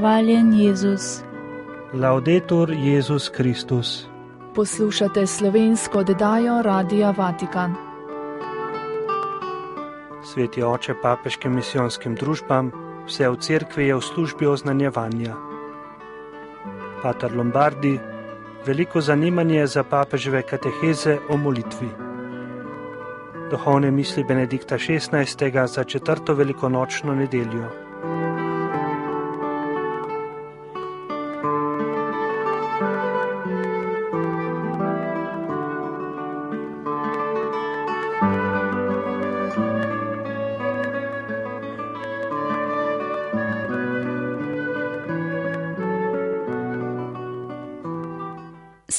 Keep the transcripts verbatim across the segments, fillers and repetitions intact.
Hvaljen Jezus. Laudetur Jezus Kristus. Poslušate slovensko oddajo Radia Vatikan. Sveti oče papeškim misijonskim družbam, vse v cerkvi je v službi oznanjevanja. Pater Lombardi, veliko zanimanje za papeževe kateheze o molitvi. Duhovne misli Benedikta šestnajstega za četrto velikonočno nedeljo.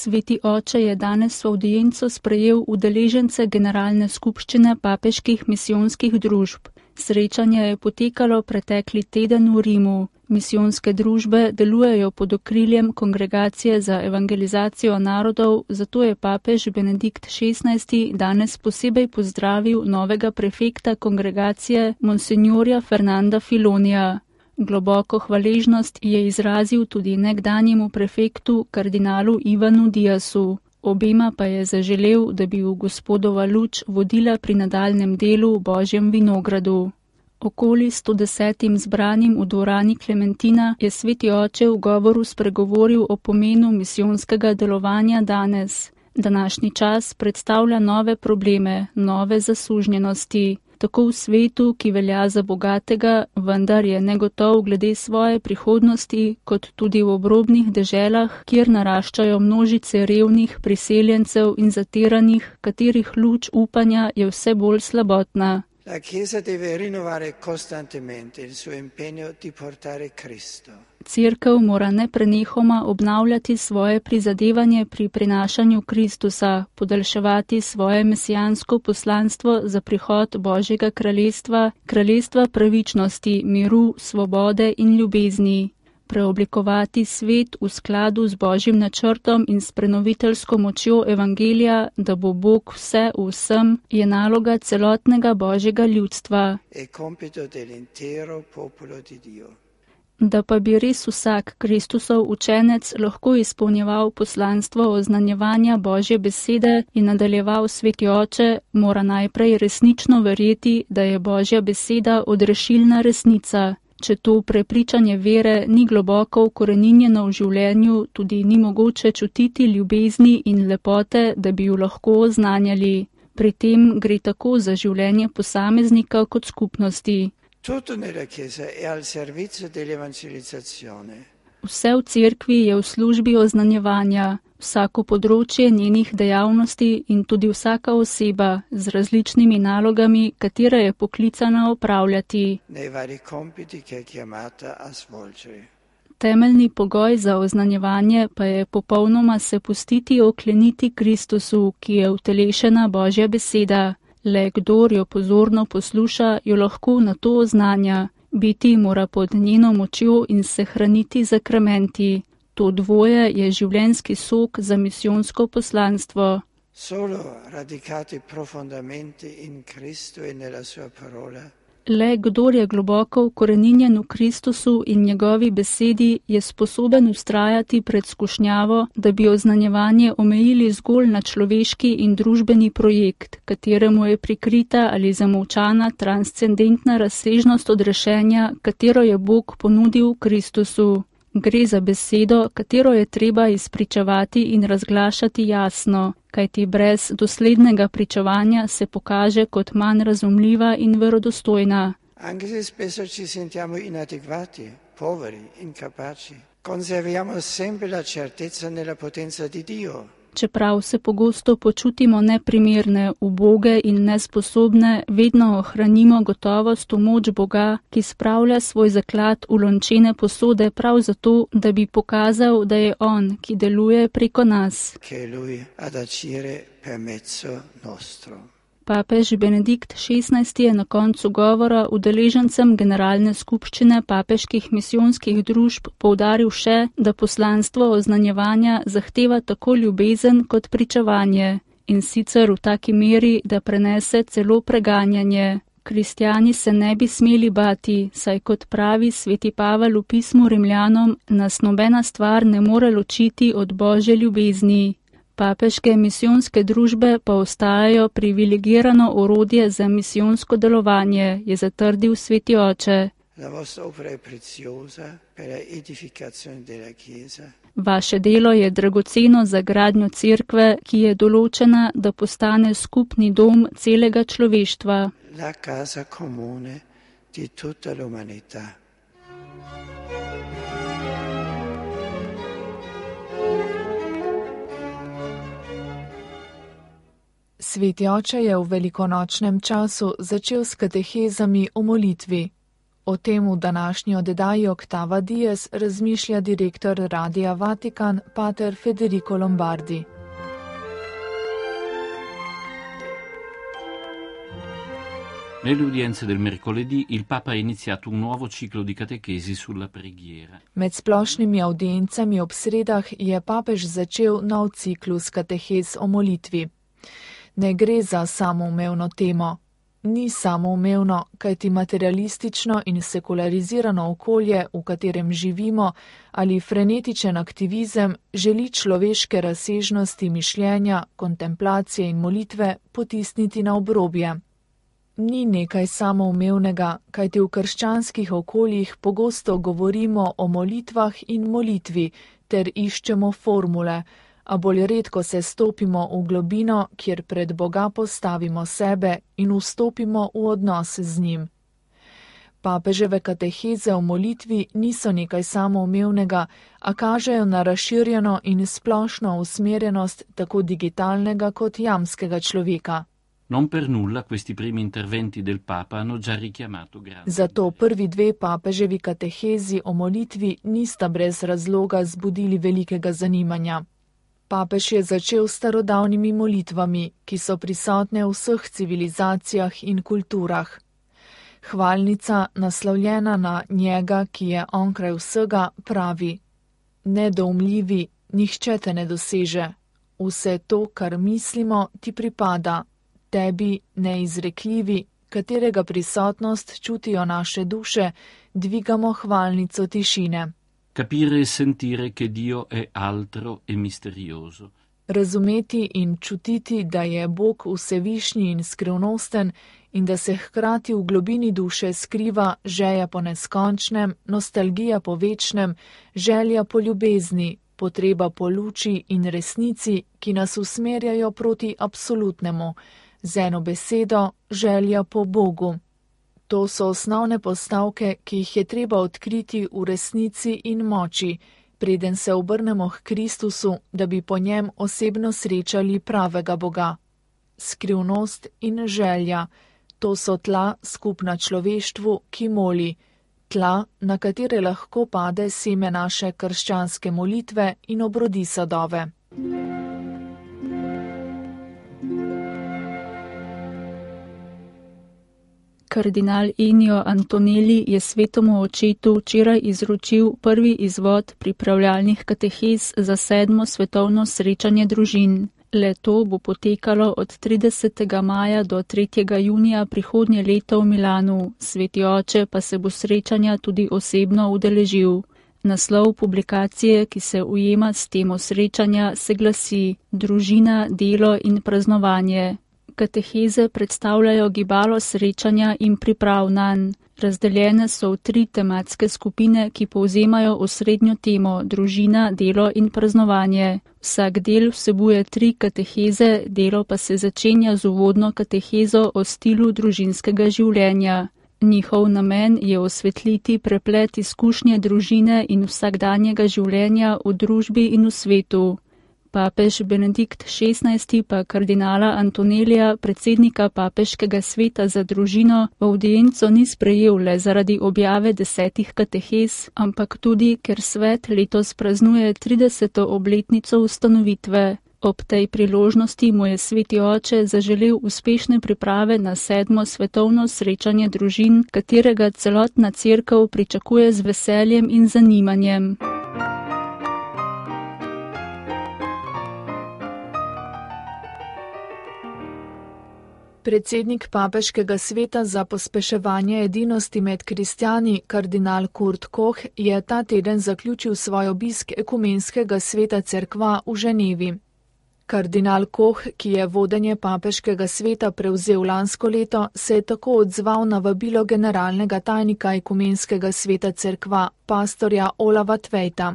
Sveti oče je danes v avdienco sprejel udeležence Generalne skupščine papeških misijonskih družb. Srečanje je potekalo pretekli teden v Rimu. Misijonske družbe delujejo pod okriljem Kongregacije za evangelizacijo narodov, zato je papež Benedikt šestnajsti danes posebej pozdravil novega prefekta kongregacije monsinjorja Fernanda Filonija. Globoko hvaležnost je izrazil tudi nekdanjemu prefektu kardinalu Ivanu Diasu. Obema pa je zaželel, da bi v Gospodova luč vodila pri nadaljnem delu v Božjem vinogradu. Okoli sto desetim zbranim v dvorani Klementina je sveti oče v govoru spregovoril o pomenu misijonskega delovanja danes. Današnji čas predstavlja nove probleme, nove zasužnjenosti. Tako v svetu, ki velja za bogatega, vendar je negotov glede svoje prihodnosti, kot tudi v obrobnih deželah, kjer naraščajo množice revnih priseljencev in zatiranih, katerih luč upanja je vse bolj slabotna. La Chiesa deve rinnovare costantemente il suo impegno di portare Cristo. Cerkev mora neprenehoma obnavljati svoje prizadevanje pri prinašanju Kristusa, podaljševati svoje mesijansko poslanstvo za prihod Božjega kraljestva, kraljestva pravičnosti, miru, svobode in ljubezni. Preoblikovati svet v skladu z Božjim načrtom in s prenoviteljsko močjo evangelija, da bo Bog vse v vsem, je naloga celotnega Božjega ljudstva. E compito dell'intero popolo di Dio. Da pa bi res vsak Kristusov učenec lahko izpolnjeval poslanstvo oznanjevanja Božje besede in nadaljeval sveti oče, mora najprej resnično verjeti, da je Božja beseda odrešilna resnica. Če to prepričanje vere ni globoko ukoreninjeno v življenju, tudi ni mogoče čutiti ljubezni in lepote, da bi jo lahko oznanjali. Pri tem gre tako za življenje posameznika kot skupnosti. Tutto nella Chiesa è al servizio dell'evangelizzazione. Vse v cerkvi je v službi oznanjevanja, vsako področje njenih dejavnosti in tudi vsaka oseba z različnimi nalogami, katere je poklicana opravljati. Nei vari compiti che è chiamata a svolgere. Temeljni pogoj za oznanjevanje pa je popolnoma se pustiti okleniti Kristusu, ki je utelešena Božja beseda. Le kdor jo pozorno posluša, jo lahko na to oznanja. Biti mora pod njeno močjo in se hraniti zakramenti. To dvoje je življenjski sok za misijonsko poslanstvo. Solo radicati profondamente in Cristo e nella sua parola. Le kdor je globoko ukoreninjen v Kristusu in njegovi besedi, je sposoben ustrajati pred skušnjavo, da bi oznanjevanje omejili zgolj na človeški in družbeni projekt, kateremu je prikrita ali zamolčana transcendentna razsežnost odrešenja, katero je Bog ponudil v Kristusu. Gre za besedo, katero je treba izpričevati in razglašati jasno, kajti brez doslednega pričevanja se pokaže kot manj razumljiva in verodostojna. Anche se spesso ci sentiamo inadeguati, poveri, incapaci, conserviamo sempre la certezza nella potenza di Dio. Čeprav se pogosto počutimo neprimerne, uboge in nesposobne, vedno ohranimo gotovost v moč Boga, ki spravlja svoj zaklad v lončene posode prav zato, da bi pokazal, da je On, ki deluje preko nas. Che Lui ad agire per mezzo nostro. Papež Benedikt šestnajsti je na koncu govora udeležencem Generalne skupščine papeških misijonskih družb poudaril še, da poslanstvo oznanjevanja zahteva tako ljubezen kot pričevanje, in sicer v taki meri, da prenese celo preganjanje. Kristjani se ne bi smeli bati, saj kot pravi sveti Pavel v pismu Rimljanom, nas nobena stvar ne more ločiti od Božje ljubezni. Papeške misijonske družbe pa ostajajo privilegirano orodje za misijonsko delovanje, je zatrdil sveti oče. Vaše delo je dragoceno za gradnjo cerkve, ki je določena, da postane skupni dom celega človeštva. La casa comune di tutta l'umanità. Sveti oče je v velikonočnem času začel s katehezami o molitvi. O tem v današnji oddaji Octava Dies razmišlja direktor Radia Vatikan, pater Federico Lombardi. Nelle udienze del mercoledì il Papa ha iniziato un nuovo ciclo di catechesi sulla preghiera. Med splošnimi audiencami ob sredah je papež začel nov ciklus katehez o molitvi. Ne gre za samoumevno temo. Ni samoumevno, kajti materialistično in sekularizirano okolje, v katerem živimo, ali frenetičen aktivizem želi človeške razsežnosti mišljenja, kontemplacije in molitve potisniti na obrobje. Ni nekaj samoumevnega, kajti v krščanskih okoljih pogosto govorimo o molitvah in molitvi ter iščemo formule, a bolj redko se stopimo v globino, kjer pred Boga postavimo sebe in vstopimo v odnos z njim. Papeževe kateheze o molitvi niso nekaj samoumevnega, a kažejo na razširjeno in splošno usmerjenost tako digitalnega kot jamskega človeka. Non per nulla questi primi interventi del Papa hanno già richiamato grande. Zato prvi dve papeževi katehezi o molitvi nista brez razloga zbudili velikega zanimanja. Papež je začel s starodavnimi molitvami, ki so prisotne v vseh civilizacijah in kulturah. Hvalnica, naslovljena na njega, ki je onkraj vsega, pravi: Nedoumljivi, nihče te ne doseže. Vse to, kar mislimo, ti pripada. Tebi, neizrekljivi, katerega prisotnost čutijo naše duše, dvigamo hvalnico tišine. Capire e sentire che Dio è altro e misterioso. Razumeti in čutiti, da je Bog vsevišnji in skrivnosten in da se hkrati v globini duše skriva želja po neskončnem, nostalgija po večnem, želja po ljubezni, potreba po luči in resnici, ki nas usmerjajo proti absolutnemu, z eno besedo, želja po Bogu. To so osnovne postavke, ki jih je treba odkriti v resnici in moči, preden se obrnemo k Kristusu, da bi po njem osebno srečali pravega Boga. Skrivnost in želja, to so tla skupna človeštvu, ki moli, tla, na katere lahko pade seme naše krščanske molitve in obrodi sadove. Kardinal Ennio Antonelli je svetemu očetu včeraj izročil prvi izvod pripravljalnih katehez za sedmo svetovno srečanje družin. Le-to bo potekalo od tridesetega maja do tretjega junija prihodnje leto v Milanu, sveti oče pa se bo srečanja tudi osebno udeležil. Naslov publikacije, ki se ujema s temo srečanja, se glasi Družina, delo in praznovanje. Kateheze predstavljajo gibalo srečanja in priprav nanj. Razdeljene so v tri tematske skupine, ki povzemajo osrednjo temo družina, delo in praznovanje. Vsak del vsebuje tri kateheze, delo pa se začenja z uvodno katehezo o stilu družinskega življenja. Njihov namen je osvetliti preplet izkušnje družine in vsakdanjega življenja v družbi in v svetu. Papež Benedikt šestnajsti pa kardinala Antonelija, predsednika papeškega sveta za družino, v avdienco ni sprejel le zaradi objave desetih katehez, ampak tudi, ker svet letos praznuje trideseto obletnico ustanovitve. Ob tej priložnosti mu je sveti oče zaželel uspešne priprave na sedmo svetovno srečanje družin, katerega celotna cerkev pričakuje z veseljem in zanimanjem. Predsednik papeškega sveta za pospeševanje edinosti med kristjani, kardinal Kurt Koch, je ta teden zaključil svoj obisk ekumenskega sveta cerkva v Ženevi. Kardinal Koch, ki je vodenje papeškega sveta prevzel lansko leto, se je tako odzval na vabilo generalnega tajnika ekumenskega sveta cerkva, pastorja Olava Tvejta.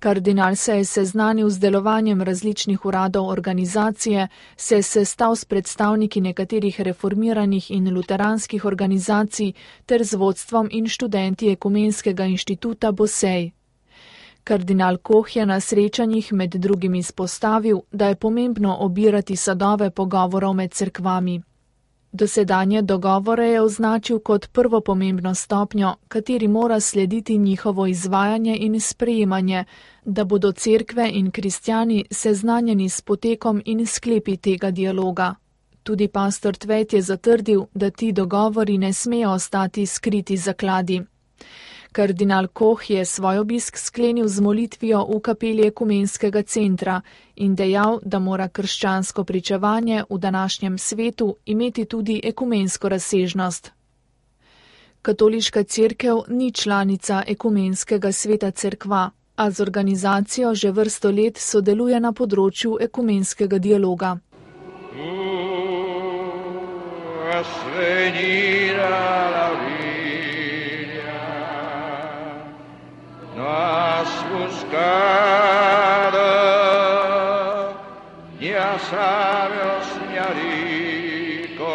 Kardinal se je seznanil z delovanjem različnih uradov organizacije, se je sestal s predstavniki nekaterih reformiranih in luteranskih organizacij ter z vodstvom in študenti Ekumenskega inštituta Bosej. Kardinal Koch je na srečanjih med drugim izpostavil, da je pomembno obirati sadove pogovorov med cerkvami. Dosedanje dogovore je označil kot prvo pomembno stopnjo, kateri mora slediti njihovo izvajanje in sprejemanje, da bodo cerkve in kristjani seznanjeni s potekom in sklepi tega dialoga. Tudi pastor Tvejt je zatrdil, da ti dogovori ne smejo ostati skriti zakladi. Kardinal Koch je svoj obisk sklenil z molitvijo v kapeli ekumenskega centra in dejal, da mora krščansko pričevanje v današnjem svetu imeti tudi ekumensko razsežnost. Katoliška cerkev ni članica ekumenskega sveta cerkva, a z organizacijo že vrsto let sodeluje na področju ekumenskega dialoga. Has buscado ni a sabios ni a ricos.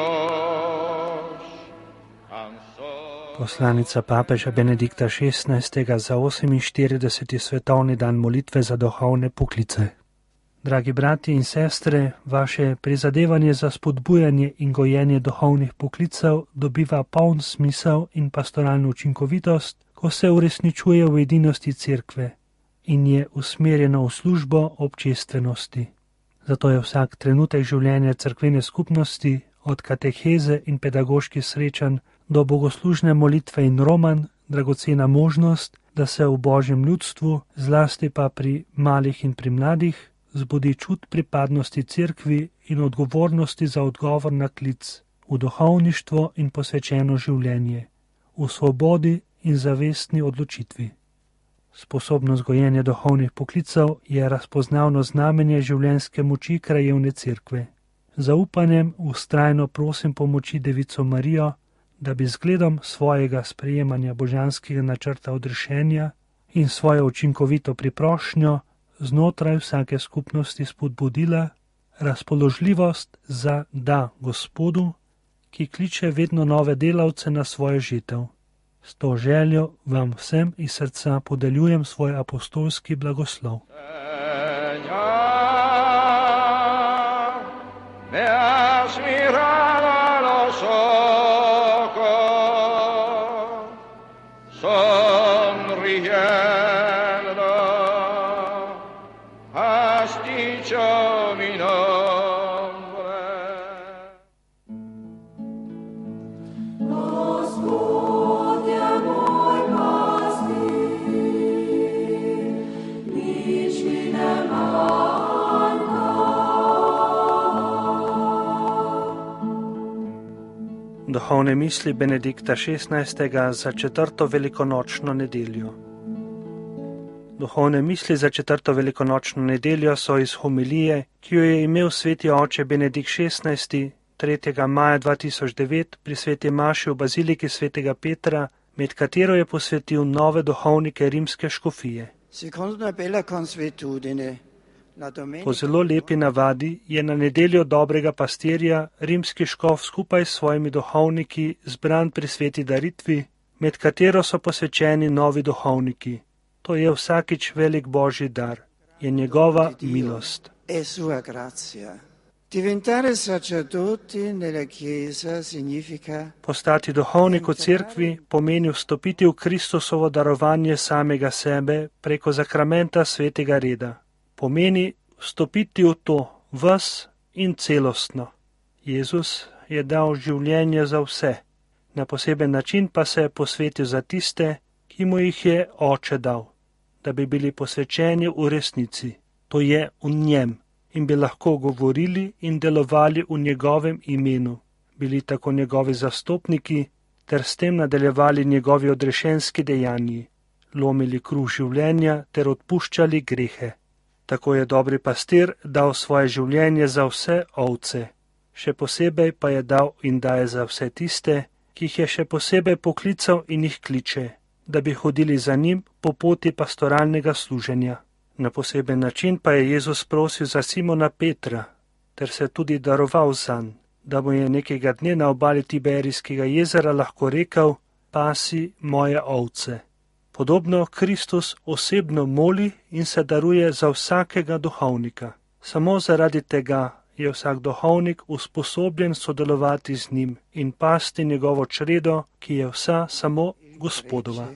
Poslanica papeža Benedikta šestnajstega za oseminštirideseti svetovni dan molitve za duhovne poklice. Dragi brati in sestre, vaše prizadevanje za spodbujanje in gojenje duhovnih poklicev dobiva poln smisel in pastoralno učinkovitost, ko se uresničuje v edinosti cerkve in je usmerjeno v službo občestvenosti. Zato je vsak trenutek življenja cerkvene skupnosti, od kateheze in pedagoških srečanj do bogoslužne molitve in roman, dragocena možnost, da se v Božjem ljudstvu, zlasti pa pri malih in pri mladih, zbudi čut pripadnosti cerkvi in odgovornosti za odgovor na klic, v duhovništvo in posvečeno življenje, v svobodi in zavestni odločitvi. Sposobnost gojenja duhovnih poklicev je razpoznavno znamenje življenjske moči krajevne cerkve. Zaupanjem vztrajno prosim pomoči Devico Marijo, da bi zgledom svojega sprejemanja božanskega načrta odrešenja in svojo učinkovito priprošnjo znotraj vsake skupnosti spodbudila razpoložljivost za da Gospodu, ki kliče vedno nove delavce na svojo žitev. S to željo vam vsem iz srca podeljujem svoj apostolski blagoslov. Duhovne misli Benedikta šestnajstega za četrto velikonočno nedeljo. Duhovne misli za četrto velikonočno nedeljo so iz homilije, ki jo je imel sveti oče Benedikt šestnajsti tretjega maja dva tisoč devet pri sveti maši v baziliki svetega Petra, med katero je posvetil nove duhovnike rimske škofije. Po zelo lepi navadi je na nedeljo dobrega pastirja rimski škof skupaj s svojimi duhovniki zbran pri sveti daritvi, med katero so posvečeni novi duhovniki. To je vsakič velik božji dar, je njegova milost. Postati duhovnik v cerkvi pomeni vstopiti v Kristusovo darovanje samega sebe preko zakramenta svetega reda. Pomeni vstopiti v to ves in celostno. Jezus je dal življenje za vse, na poseben način pa se je posvetil za tiste, ki mu jih je oče dal, da bi bili posvečeni v resnici, to je v njem, in bi lahko govorili in delovali v njegovem imenu, bili tako njegovi zastopniki, ter s tem nadaljevali njegovi odrešenski dejanji, lomili kruh življenja ter odpuščali grehe. Tako je dobri pastir dal svoje življenje za vse ovce, še posebej pa je dal in daje za vse tiste, ki jih je še posebej poklical in jih kliče, da bi hodili za njim po poti pastoralnega služenja. Na poseben način pa je Jezus prosil za Simona Petra, ter se tudi daroval zanj, da mu je nekega dne na obali Tiberijskega jezera lahko rekel: pasi moje ovce. Podobno Kristus osebno moli in se daruje za vsakega duhovnika. Samo zaradi tega je vsak duhovnik usposobljen sodelovati z njim in pasti njegovo čredo, ki je vsa samo Gospodova.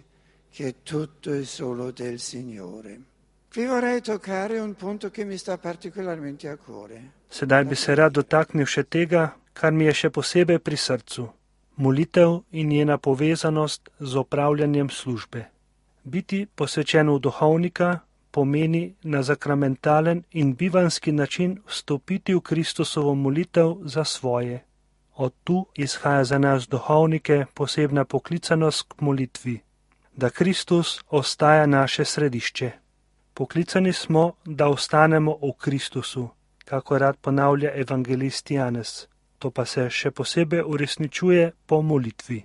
Sedaj bi se rad dotaknil še tega, kar mi je še posebej pri srcu. Molitev in njena povezanost z opravljanjem službe. Biti posvečen v duhovnika pomeni na zakramentalen in bivanski način vstopiti v Kristusovo molitev za svoje. Od tu izhaja za nas duhovnike posebna poklicanost k molitvi, da Kristus ostaja naše središče. Poklicani smo, da ostanemo v Kristusu, kako rad ponavlja evangelist Janez. To pa se še posebej uresničuje po molitvi.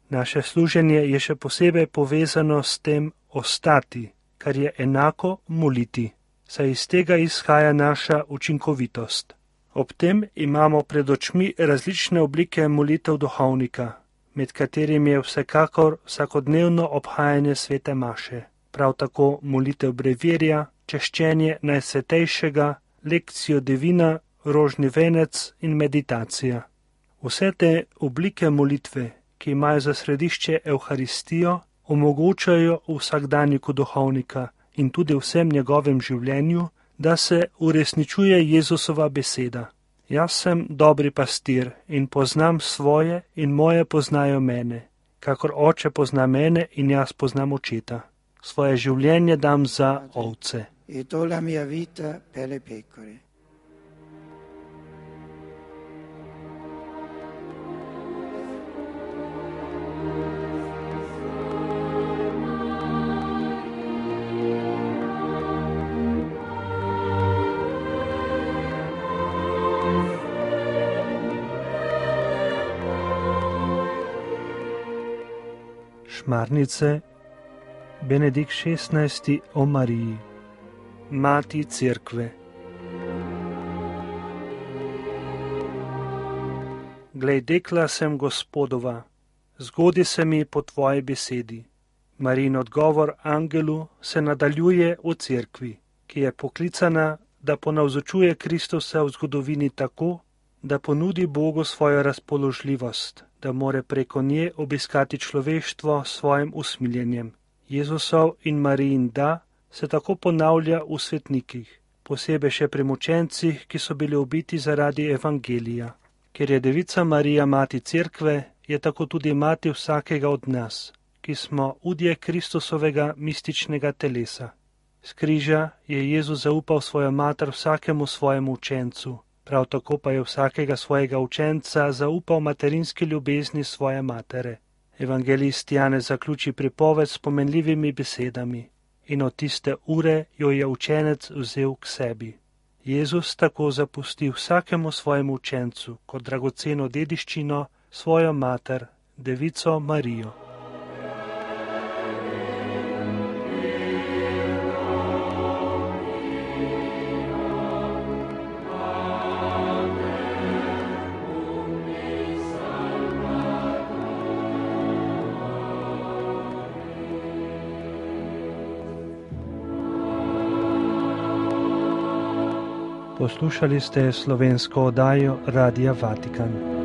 Naše služenje je še posebej povezano s tem ostati, kar je enako moliti, saj iz tega izhaja naša učinkovitost. Ob tem imamo pred očmi različne oblike molitev duhovnika, med katerimi je vsekakor vsakodnevno obhajanje svete maše, prav tako molitev brevirja, češčenje najsvetejšega, lekcijo divina, rožni venec in meditacija. Vse te oblike molitve, ki imajo za središče Evharistijo, omogočajo vsakdanjiku duhovnika in tudi vsem njegovem življenju, da se uresničuje Jezusova beseda. Jaz sem dobri pastir in poznam svoje in moje poznajo mene, kakor oče pozna mene in jaz poznam očeta. Svoje življenje dam za ovce. E do la mia vita per le pecore. Šmarnice, Benedikt šestnajsti o Mariji, Mati Cerkve. Glej, dekla sem Gospodova, zgodi se mi po tvoji besedi. Marijin odgovor angelu se nadaljuje v Cerkvi, ki je poklicana, da ponavzočuje Kristusa v zgodovini tako, da ponudi Bogu svojo razpoložljivost, da more preko nje obiskati človeštvo s svojim usmiljenjem. Jezusov in Marijin da se tako ponavlja v svetnikih, posebej še pri mučencih, ki so bili ubiti zaradi evangelija. Ker je Devica Marija mati Cerkve, je tako tudi mati vsakega od nas, ki smo udje Kristusovega mističnega telesa. S križa je Jezus zaupal svojo mater vsakemu svojemu učencu, prav tako pa je vsakega svojega učenca zaupal materinski ljubezni svoje matere. Evangelist Janez zaključi pripoved s pomenljivimi besedami in od tiste ure jo je učenec vzel k sebi. Jezus tako zapusti vsakemu svojemu učencu kot dragoceno dediščino svojo mater, Devico Marijo. Poslušali ste slovensko oddajo Radia Vatikan.